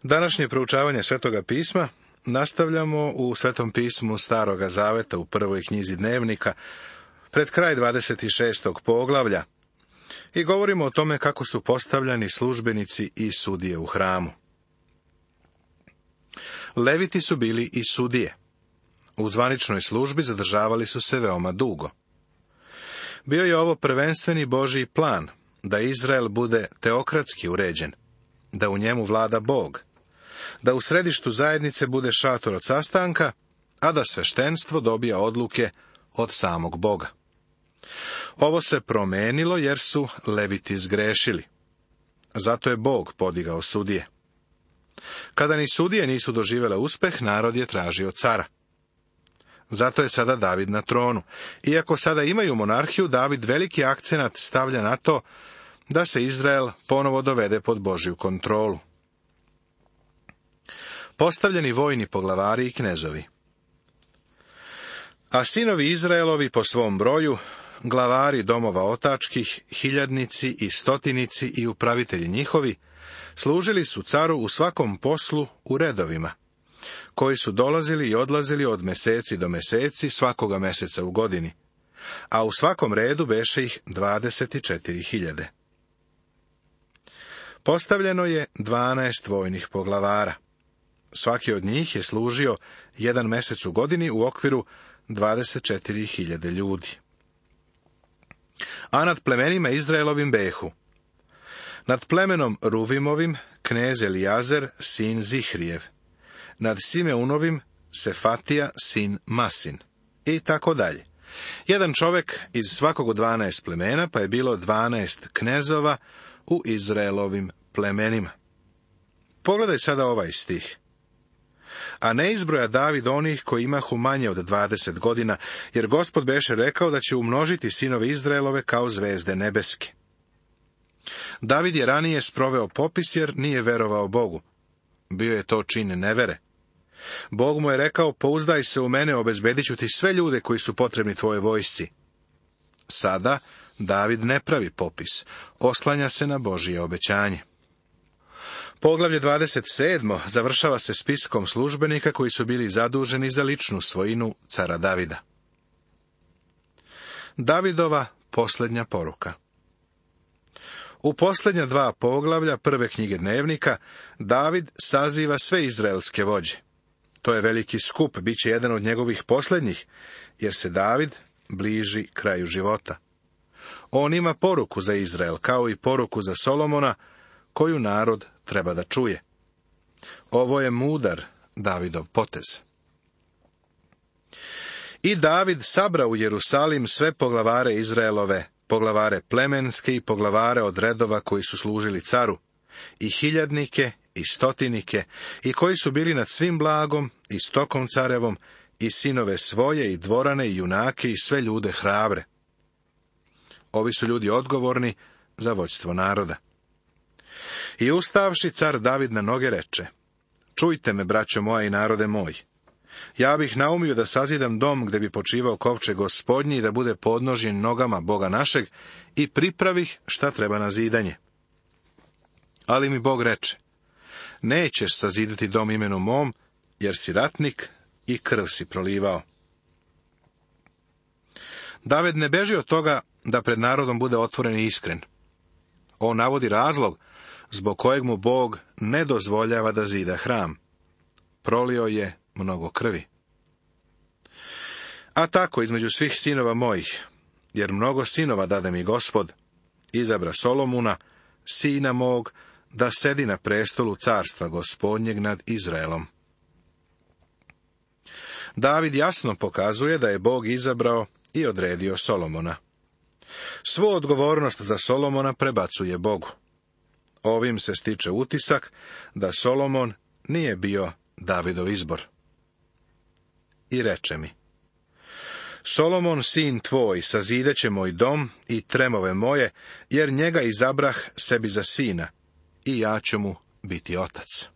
Današnje proučavanje Svetoga pisma nastavljamo u Svetom pismu Staroga zaveta u prvoj knjizi Dnevnika, pred kraj 26. poglavlja, i govorimo o tome kako su postavljani službenici i sudije u hramu. Leviti su bili i sudije. U zvaničnoj službi zadržavali su se veoma dugo. Bio je ovo prvenstveni Božji plan, da Izrael bude teokratski uređen, da u njemu vlada Bog, da u središtu zajednice bude šator od sastanka, a da sveštenstvo dobija odluke od samog Boga. Ovo se promenilo jer su Leviti zgrešili. Zato je Bog podigao sudije. Kada ni sudije nisu doživjele uspeh, narod je tražio cara. Zato je sada David na tronu. Iako sada imaju monarhiju, David veliki akcenat stavlja na to da se Izrael ponovo dovede pod Božju kontrolu. Postavljeni vojni poglavari i knezovi. A sinovi Izraelovi po svom broju, glavari domova otačkih, hiljadnici i stotinici i upravitelji njihovi, služili su caru u svakom poslu u redovima, koji su dolazili i odlazili od meseci do meseci svakoga meseca u godini, a u svakom redu beše ih 24.000. Postavljeno je 12 vojnih poglavara. Svaki od njih je služio jedan mesec u godini u okviru 24.000 ljudi. A nad plemenima Izraelovim behu: nad plemenom Ruvimovim knez Elijazer sin Zihrijev, nad Simeunovim Sefatija sin Masin, i tako dalje. Jedan čovek iz svakog od 12 plemena, pa je bilo 12 knezova u Izraelovim plemenima. Pogledaj sada ovaj stih. A ne izbroja David onih koji imahu manje od 20 godina, jer Gospod beše rekao da će umnožiti sinove Izraelove kao zvezde nebeske. David je ranije sproveo popis jer nije verovao Bogu. Bio je to čin nevere. Bog mu je rekao: pouzdaj se u mene, obezbedit ću ti sve ljude koji su potrebni tvojoj vojsci. Sada David ne pravi popis, oslanja se na Božje obećanje. Poglavlje 27. završava se spiskom službenika koji su bili zaduženi za ličnu svojinu cara Davida. Davidova posljednja poruka. U posljednja 2 poglavlja prve knjige Dnevnika David saziva sve izraelske vođe. To je veliki skup, bit će jedan od njegovih posljednjih, jer se David bliži kraju života. On ima poruku za Izrael, kao i poruku za Solomona, koju narod treba da čuje. Ovo je mudar Davidov potez. I David sabra u Jerusalim sve poglavare Izraelove, poglavare plemenske i poglavare od redova koji su služili caru, i hiljadnike i stotinike, i koji su bili nad svim blagom i stokom carevom, i sinove svoje, i dvorane, i junake, i sve ljude hrabre. Ovi su ljudi odgovorni za vođstvo naroda. I ustavši, car David na noge reče: čujte me, braćo moja i narode moj. Ja bih naumio da sazidam dom gde bi počivao kovčeg Gospodnji i da bude podnožjen nogama Boga našeg, i pripravih šta treba na zidanje. Ali mi Bog reče: nećeš sazidati dom imenu mom, jer si ratnik i krv si prolivao. David ne beži od toga da pred narodom bude otvoren i iskren. On navodi razlog zbog kojeg mu Bog ne dozvoljava da zida hram. Prolio je mnogo krvi. A tako između svih sinova mojih, jer mnogo sinova dade mi Gospod, izabra Solomuna, sina mog, da sedi na prestolu carstva Gospodnjeg nad Izraelom. David jasno pokazuje da je Bog izabrao i odredio Solomona. Svu odgovornost za Solomona prebacuje Bogu. Ovim se stiče utisak da Solomon nije bio Davidov izbor. I reče mi: Solomon, sin tvoj, sazideće moj dom i tremove moje, jer njega izabrah sebi za sina, i ja ću mu biti otac.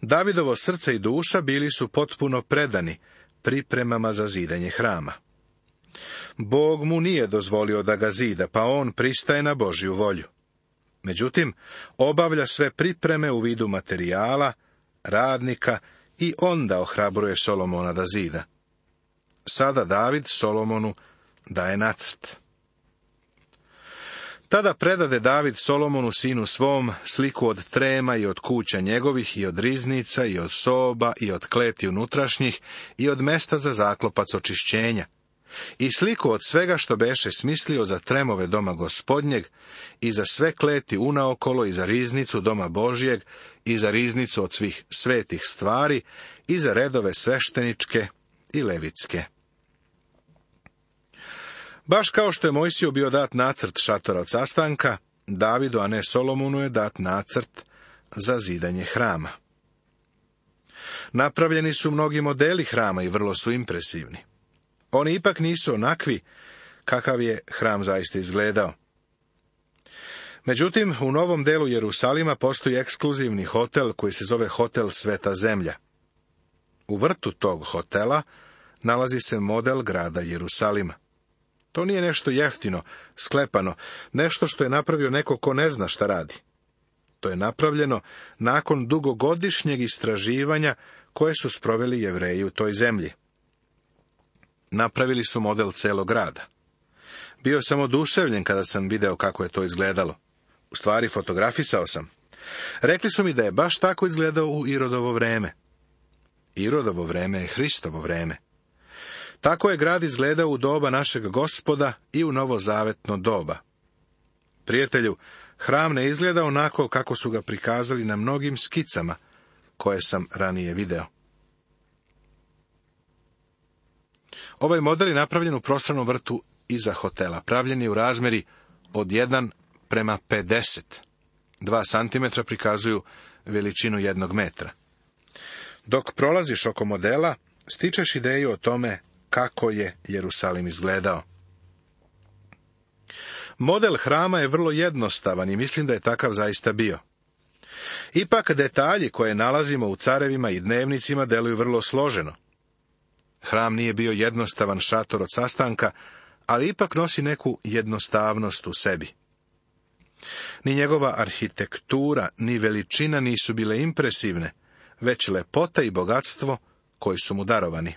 Davidovo srce i duša bili su potpuno predani pripremama za zidanje hrama. Bog mu nije dozvolio da ga zida, pa on pristaje na Božju volju. Međutim, obavlja sve pripreme u vidu materijala, radnika i onda ohrabruje Solomona da zida. Sada David Solomonu daje nacrt. Tada predade David Solomonu sinu svom sliku od trema i od kuća njegovih i od riznica i od soba i od kleti unutrašnjih i od mesta za zaklopac očišćenja i sliku od svega što beše smislio za tremove doma Gospodnjeg i za sve kleti unaokolo i za riznicu doma Božjeg i za riznicu od svih svetih stvari i za redove svešteničke i levitske. Baš kao što je Mojsiju bio dat nacrt šatora od sastanka, Davidu, a ne Solomonu, je dat nacrt za zidanje hrama. Napravljeni su mnogi modeli hrama i vrlo su impresivni. Oni ipak nisu onakvi kakav je hram zaista izgledao. Međutim, u novom delu Jerusalima postoji ekskluzivni hotel koji se zove Hotel Sveta zemlja. U vrtu tog hotela nalazi se model grada Jerusalima. To nije nešto jeftino, sklepano, nešto što je napravio neko ko ne zna šta radi. To je napravljeno nakon dugogodišnjeg istraživanja koje su sproveli Jevreji u toj zemlji. Napravili su model celog grada. Bio sam oduševljen kada sam video kako je to izgledalo. U stvari, fotografisao sam. Rekli su mi da je baš tako izgledao u Irodovo vreme. Irodovo vreme je Hristovo vreme. Tako je grad izgledao u doba našeg Gospoda i u novozavetno doba. Prijatelju, hram ne izgleda onako kako su ga prikazali na mnogim skicama koje sam ranije video. Ovaj model je napravljen u prostranom vrtu iza hotela. Pravljen je u razmeri od 1:50. 2 santimetra prikazuju veličinu 1 metra. Dok prolaziš oko modela, stičeš ideju o tome kako je Jerusalim izgledao. Model hrama je vrlo jednostavan i mislim da je takav zaista bio. Ipak detalji koje nalazimo u carevima i dnevnicima deluju vrlo složeno. Hram nije bio jednostavan šator od sastanka, ali ipak nosi neku jednostavnost u sebi. Ni njegova arhitektura, ni veličina nisu bile impresivne, već lepota i bogatstvo koji su mu darovani.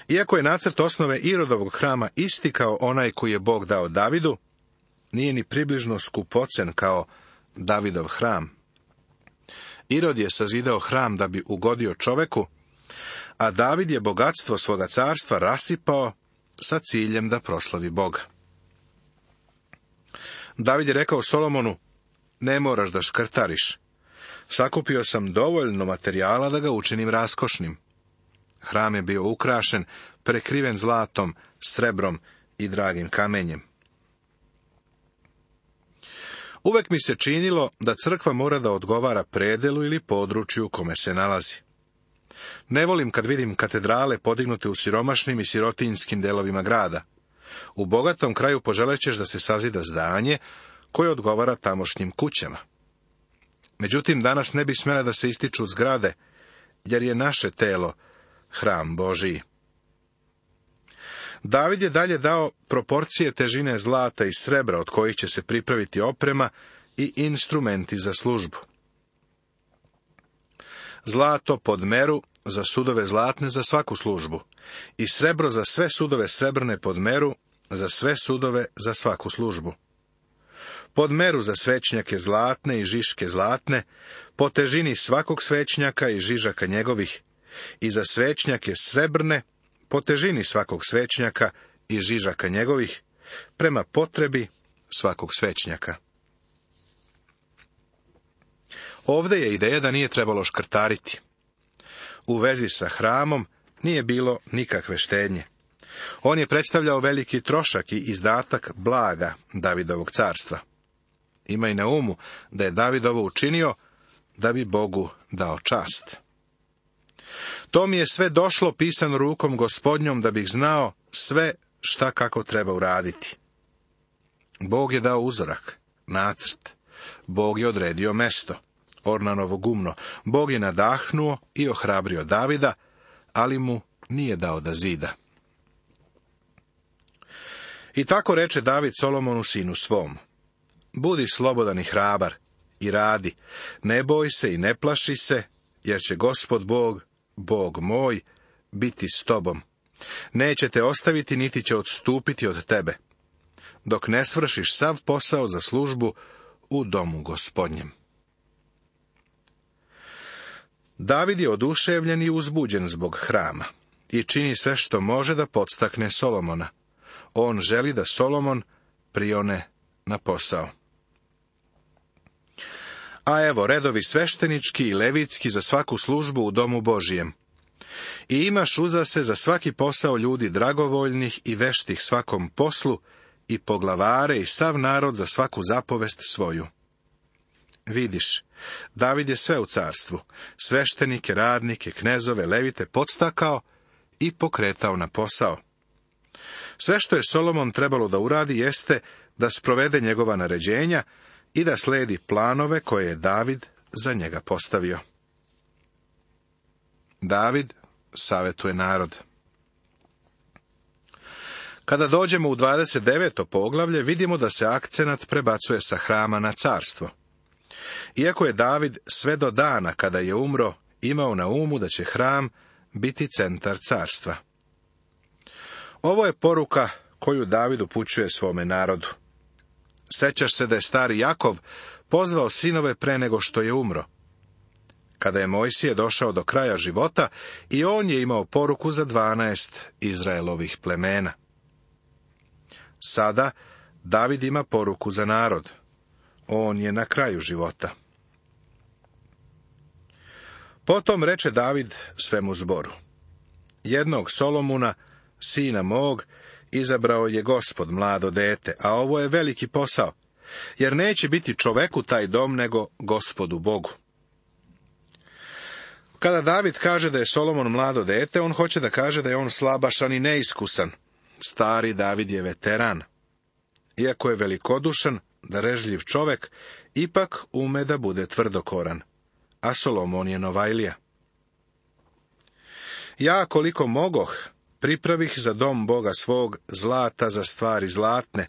Iako je nacrt osnove Irodovog hrama isti kao onaj koji je Bog dao Davidu, nije ni približno skupocen kao Davidov hram. Irod je sazidao hram da bi ugodio čoveku, a David je bogatstvo svoga carstva rasipao sa ciljem da proslavi Boga. David je rekao Solomonu, ne moraš da škrtariš. Sakupio sam dovoljno materijala da ga učinim raskošnim. Hram je bio ukrašen, prekriven zlatom, srebrom i dragim kamenjem. Uvek mi se činilo da crkva mora da odgovara predelu ili području u kome se nalazi. Ne volim kad vidim katedrale podignute u siromašnim i sirotinjskim delovima grada. U bogatom kraju poželećeš da se sazida zdanje koje odgovara tamošnjim kućama. Međutim, danas ne bi smjele da se ističu zgrade, jer je naše telo hram Božiji. David je dalje dao proporcije težine zlata i srebra od kojih će se pripraviti oprema i instrumenti za službu. Zlato pod meru za sudove zlatne za svaku službu i srebro za sve sudove srebrne pod meru za sve sudove za svaku službu. Pod meru za svećnjake zlatne i žiške zlatne, po težini svakog svećnjaka i žižaka njegovih, i za svećnjake srebrne, po težini svakog svećnjaka i žižaka njegovih, prema potrebi svakog svećnjaka. Ovdje je ideja da nije trebalo škrtariti. U vezi sa hramom nije bilo nikakve štednje. On je predstavljao veliki trošak i izdatak blaga Davidovog carstva. Imaj na umu da je David ovo učinio da bi Bogu dao čast. To mi je sve došlo pisano rukom Gospodnjom da bih znao sve šta kako treba uraditi. Bog je dao uzorak, nacrt. Bog je odredio mesto, Ornanovo gumno. Bog je nadahnuo i ohrabrio Davida, ali mu nije dao da zida. I tako reče David Solomonu sinu svom. Budi slobodan i hrabar i radi, ne boj se i ne plaši se, jer će Gospod Bog, Bog moj, biti s tobom. Neće te ostaviti, niti će odstupiti od tebe, dok ne svršiš sav posao za službu u domu Gospodnjem. David je oduševljen i uzbuđen zbog hrama i čini sve što može da podstakne Solomona. On želi da Solomon prione na posao. A evo, redovi sveštenički i levitski za svaku službu u domu Božijem. I imaš uza se za svaki posao ljudi dragovoljnih i veštih svakom poslu, i poglavare i sav narod za svaku zapovest svoju. Vidiš, David je sve u carstvu, sveštenike, radnike, knezove, levite podstakao i pokretao na posao. Sve što je Solomon trebalo da uradi jeste da sprovede njegova naređenja i da sledi planove koje je David za njega postavio. David savjetuje narod. Kada dođemo u 29. poglavlje, vidimo da se akcenat prebacuje sa hrama na carstvo. Iako je David sve do dana kada je umro imao na umu da će hram biti centar carstva. Ovo je poruka koju David upućuje svome narodu. Sećaš se da je stari Jakov pozvao sinove pre nego što je umro. Kada je Mojsije došao do kraja života, i on je imao poruku za 12 Izraelovih plemena. Sada David ima poruku za narod. On je na kraju života. Potom reče David svemu zboru: jednog Solomuna, sina mog, izabrao je Gospod mlado dete, a ovo je veliki posao, jer neće biti čoveku taj dom, nego Gospodu Bogu. Kada David kaže da je Solomon mlado dete, on hoće da kaže da je on slabašan i neiskusan. Stari David je veteran. Iako je velikodušan, darežljiv čovek, ipak ume da bude tvrdokoran, a Solomon je novajlija. Ja, koliko mogoh, pripravih za dom Boga svog zlata za stvari zlatne,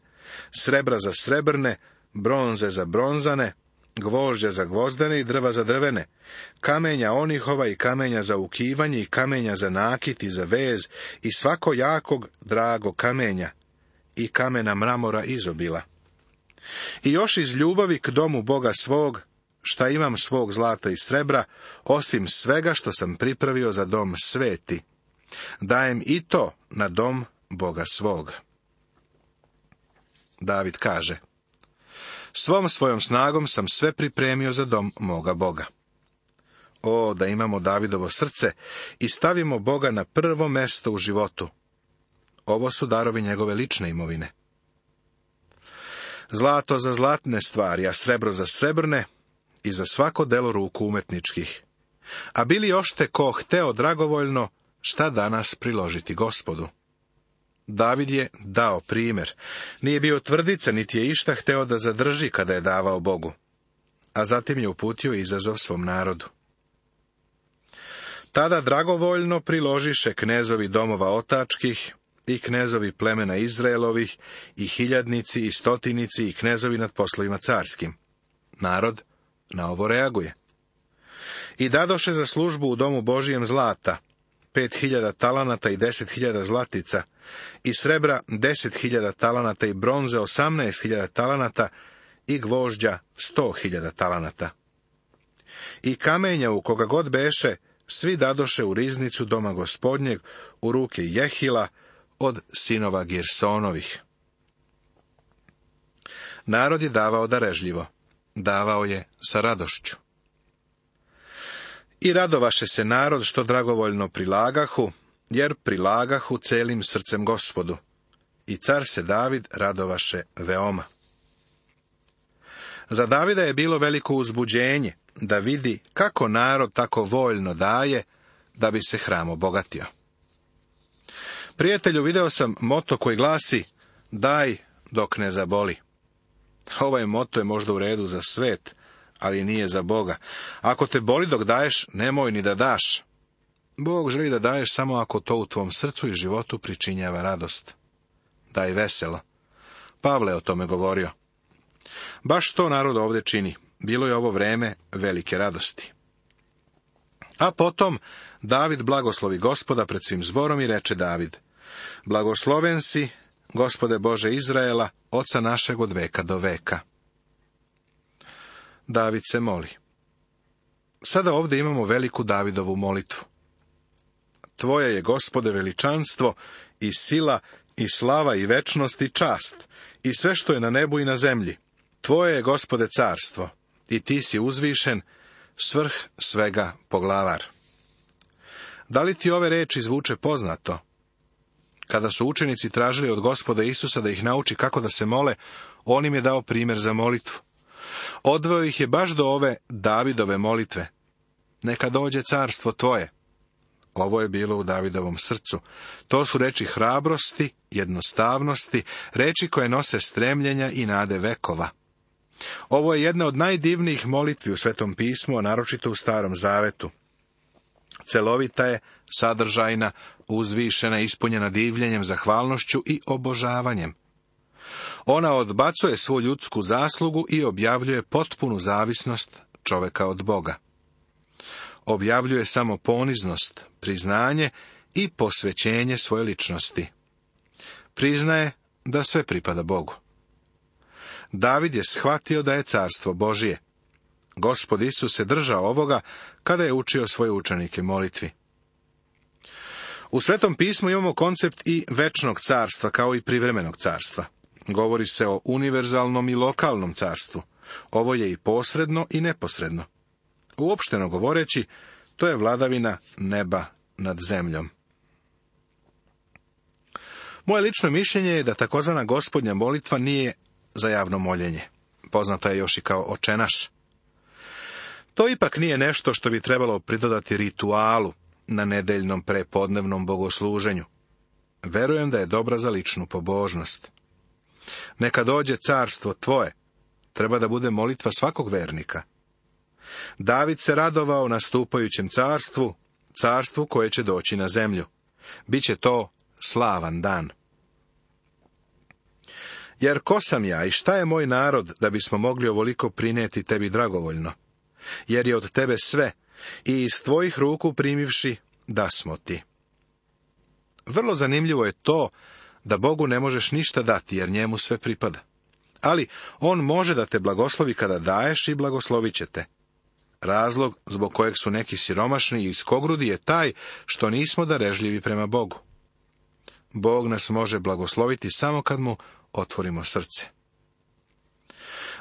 srebra za srebrne, bronze za bronzane, gvožđa za gvozdene i drva za drvene, kamenja onihova i kamenja za ukivanje i kamenja za nakit i za vez i svako jakog drago kamenja i kamena mramora izobila. I još iz ljubavi k domu Boga svog, šta imam svog zlata i srebra, osim svega što sam pripravio za dom sveti, dajem i to na dom Boga svog. David kaže: svom svojom snagom sam sve pripremio za dom moga Boga. O, da imamo Davidovo srce i stavimo Boga na prvo mesto u životu. Ovo su darovi njegove lične imovine. Zlato za zlatne stvari, a srebro za srebrne i za svako delo ruku umetničkih. A bili ošte ko hteo dragovoljno šta danas priložiti Gospodu. David je dao primjer. Nije bio tvrdica, niti je išta hteo da zadrži kada je davao Bogu. A zatim je uputio izazov svom narodu. Tada dragovoljno priložiše knezovi domova otačkih i knezovi plemena Izraelovih i hiljadnici i stotinici i knezovi nad poslovima carskim. Narod na ovo reaguje. I dadoše za službu u domu Božijem zlata 5.000 talanata i 10.000 zlatica, i srebra 10.000 talanata i bronze 18.000 talanata i gvožđa 100.000 talanata. I kamenja u koga god beše, svi dadoše u riznicu doma Gospodnjeg u ruke Jehila od sinova Girsonovih. Narod je davao darežljivo, davao je sa radošću. I radovaše se narod što dragovoljno prilagahu, jer prilagahu celim srcem Gospodu. I car se David radovaše veoma. Za Davida je bilo veliko uzbuđenje da vidi kako narod tako voljno daje da bi se hram obogatio. Prijatelju, video sam moto koji glasi: daj dok ne zaboli. Ovaj moto je možda u redu za svet, ali nije za Boga. Ako te boli dok daješ, nemoj ni da daš. Bog želi da daješ samo ako to u tvom srcu i životu pričinjava radost. Daj veselo. Pavle je o tome govorio. Baš to narod ovdje čini. Bilo je ovo vreme velike radosti. A potom David blagoslovi Gospoda pred svim zborom i reče David: Blagosloven si, Gospode Bože Izraela, oca našeg od veka do veka. David se moli. Sada ovdje imamo veliku Davidovu molitvu. Tvoje je, Gospode, veličanstvo i sila i slava i večnost i čast i sve što je na nebu i na zemlji. Tvoje je, Gospode, carstvo i ti si uzvišen, svrh svega poglavar. Da li ti ove reči zvuče poznato? Kada su učenici tražili od Gospoda Isusa da ih nauči kako da se mole, on im je dao primjer za molitvu. Odveo ih je baš do ove Davidove molitve. Neka dođe carstvo tvoje. Ovo je bilo u Davidovom srcu. To su reči hrabrosti, jednostavnosti, reči koje nose stremljenja i nade vekova. Ovo je jedna od najdivnijih molitvi u Svetom pismu, a naročito u Starom Zavetu. Celovita je, sadržajna, uzvišena, ispunjena divljenjem, zahvalnošću i obožavanjem. Ona odbacuje svu ljudsku zaslugu i objavljuje potpunu zavisnost čoveka od Boga. Objavljuje samo poniznost, priznanje i posvećenje svoje ličnosti. Priznaje da sve pripada Bogu. David je shvatio da je carstvo Božije. Gospod Isus se držao ovoga kada je učio svoje učenike molitvi. U Svetom pismu imamo koncept i večnog carstva kao i privremenog carstva. Govori se o univerzalnom i lokalnom carstvu. Ovo je i posredno i neposredno. Uopšteno govoreći, to je vladavina neba nad zemljom. Moje lično mišljenje je da takozvana gospodnja molitva nije za javno moljenje. Poznata je još i kao očenaš. To ipak nije nešto što bi trebalo pridodati ritualu na nedeljnom prepodnevnom bogosluženju. Verujem da je dobra za ličnu pobožnost. Neka dođe carstvo tvoje, treba da bude molitva svakog vernika. David se radovao nastupajućem carstvu, carstvu koje će doći na zemlju. Biće to slavan dan. Jer ko sam ja i šta je moj narod da bismo mogli ovoliko prinijeti tebi dragovoljno? Jer je od tebe sve i iz tvojih ruku primivši da smo ti. Vrlo zanimljivo je to da Bogu ne možeš ništa dati jer njemu sve pripada. Ali on može da te blagoslovi kada daješ i blagoslovit će te. Razlog zbog kojeg su neki siromašni i iskogrudi je taj što nismo darežljivi prema Bogu. Bog nas može blagosloviti samo kad mu otvorimo srce.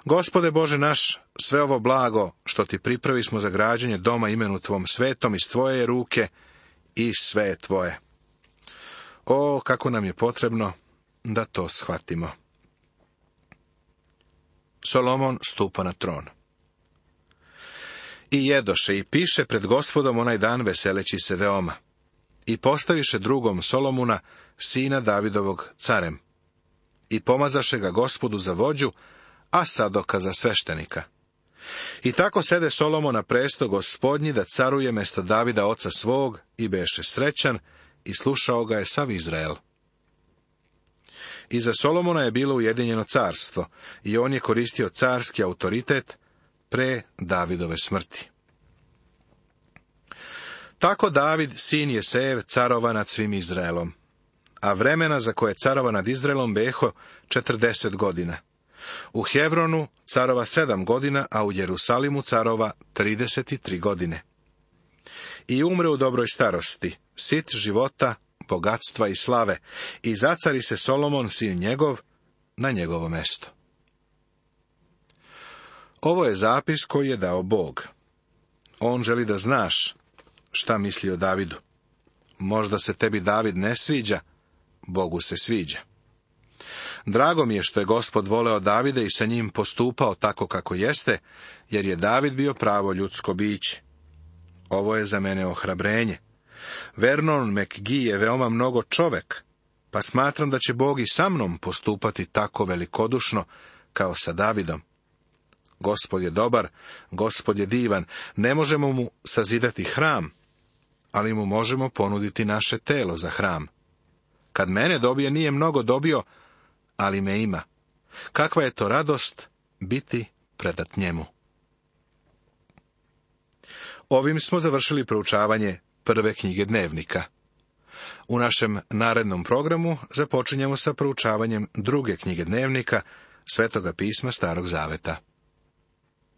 Gospode Bože naš, sve ovo blago što ti pripravi smo za građenje doma imenu tvom svetom iz tvoje je ruke i sve je tvoje. O, kako nam je potrebno da to shvatimo. Solomon stupa na tron. I jedoše i piše pred Gospodom onaj dan veseleći se veoma. I postaviše drugom Solomuna, sina Davidovog, carem. I pomazaše ga Gospodu za vođu, a Sadoka za sveštenika. I tako sede Solomon na presto Gospodnji da caruje mesto Davida oca svog i beše srećan i slušao ga je sav Izrael. Iza Solomona je bilo ujedinjeno carstvo i on je koristio carski autoritet pre Davidove smrti. Tako David, sin Jesejev, carova nad svim Izraelom, a vremena za koje carova nad Izraelom beho 40 godina. U Hevronu carova 7 godina, a u Jerusalimu carova 33 godine. I umre u dobroj starosti, sit života, bogatstva i slave, i zacari se Solomon, sin njegov, na njegovo mesto. Ovo je zapis koji je dao Bog. On želi da znaš šta misli o Davidu. Možda se tebi David ne sviđa, Bogu se sviđa. Drago mi je što je Gospod voleo Davida i sa njim postupao tako kako jeste, jer je David bio pravo ljudsko biće. Ovo je za mene ohrabrenje. Vernon McGee je veoma mnogo čovek, pa smatram da će Bog i sa mnom postupati tako velikodušno kao sa Davidom. Gospod je dobar, Gospod je divan, ne možemo mu sazidati hram, ali mu možemo ponuditi naše telo za hram. Kad mene dobije, nije mnogo dobio, ali me ima. Kakva je to radost biti predat njemu. Ovim smo završili proučavanje prve knjige Dnevnika. U našem narednom programu započinjemo sa proučavanjem druge knjige Dnevnika, Svetoga pisma Starog zaveta.